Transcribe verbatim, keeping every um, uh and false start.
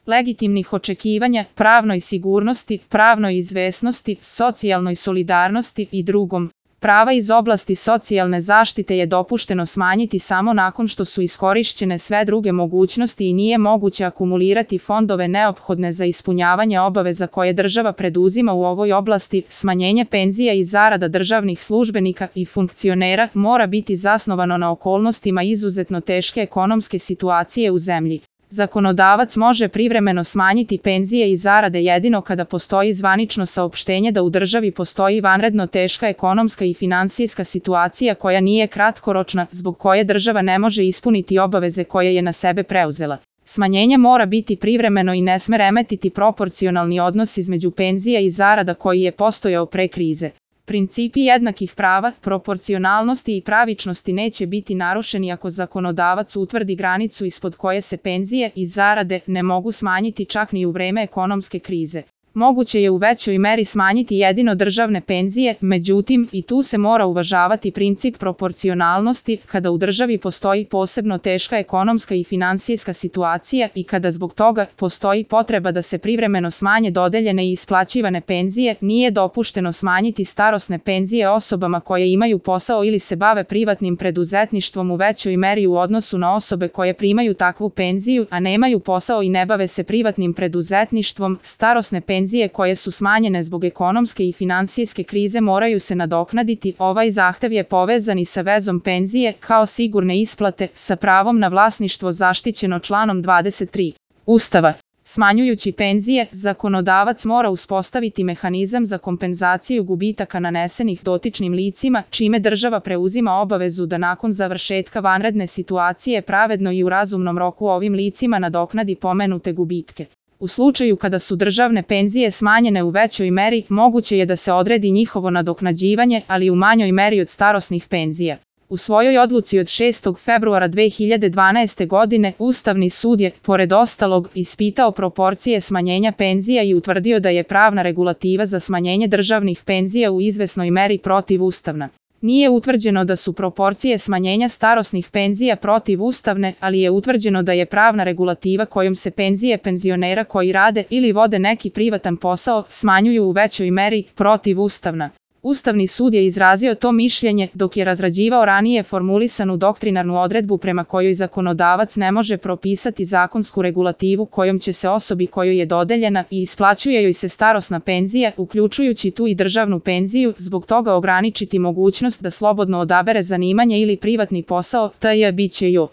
legitimnih očekivanja, pravnoj sigurnosti, pravnoj izvesnosti, socijalnoj solidarnosti i drugom. Prava iz oblasti socijalne zaštite je dopušteno smanjiti samo nakon što su iskorišćene sve druge mogućnosti i nije moguće akumulirati fondove neophodne za ispunjavanje obaveza koje država preduzima u ovoj oblasti. Smanjenje penzija i zarada državnih službenika i funkcionera mora biti zasnovano na okolnostima izuzetno teške ekonomske situacije u zemlji. Zakonodavac može privremeno smanjiti penzije i zarade jedino kada postoji zvanično saopštenje da u državi postoji vanredno teška ekonomska i finansijska situacija koja nije kratkoročna, zbog koje država ne može ispuniti obaveze koje je na sebe preuzela. Smanjenje mora biti privremeno i ne sme remetiti proporcionalni odnos između penzija i zarada koji je postojao pre krize. Principi jednakih prava, proporcionalnosti i pravičnosti neće biti narušeni ako zakonodavac utvrdi granicu ispod koje se penzije i zarade ne mogu smanjiti čak ni u vreme ekonomske krize. Moguće je u većoj meri smanjiti jedino državne penzije, međutim, i tu se mora uvažavati princip proporcionalnosti kada u državi postoji posebno teška ekonomska i finansijska situacija i kada zbog toga postoji potreba da se privremeno smanje dodeljene i isplaćivane penzije, nije dopušteno smanjiti starosne penzije osobama koje imaju posao ili se bave privatnim preduzetništvom u većoj meri u odnosu na osobe koje primaju takvu penziju, a nemaju posao i ne bave se privatnim preduzetništvom. Starosne penzije Penzije koje su smanjene zbog ekonomske i finansijske krize moraju se nadoknaditi. Ovaj zahtev je povezan i sa vezom penzije kao sigurne isplate sa pravom na vlasništvo zaštićeno članom dvadeset tri Ustava. Smanjujući penzije, zakonodavac mora uspostaviti mehanizam za kompenzaciju gubitaka nanesenih dotičnim licima, čime država preuzima obavezu da nakon završetka vanredne situacije pravedno i u razumnom roku ovim licima nadoknadi pomenute gubitke. U slučaju kada su državne penzije smanjene u većoj meri, moguće je da se odredi njihovo nadoknađivanje, ali u manjoj meri od starosnih penzija. U svojoj odluci od šestog februara dve hiljade dvanaeste. godine Ustavni sud je, pored ostalog, ispitao proporcije smanjenja penzija i utvrdio da je pravna regulativa za smanjenje državnih penzija u izvesnoj meri protivustavna. Nije utvrđeno da su proporcije smanjenja starosnih penzija protivustavne, ali je utvrđeno da je pravna regulativa kojom se penzije penzionera koji rade ili vode neki privatan posao smanjuju u većoj meri protivustavna. Ustavni sud je izrazio to mišljenje dok je razrađivao ranije formulisanu doktrinarnu odredbu prema kojoj zakonodavac ne može propisati zakonsku regulativu kojom će se osobi kojoj je dodeljena i isplaćuje joj se starosna penzija, uključujući tu i državnu penziju, zbog toga ograničiti mogućnost da slobodno odabere zanimanje ili privatni posao, tj. biće ju.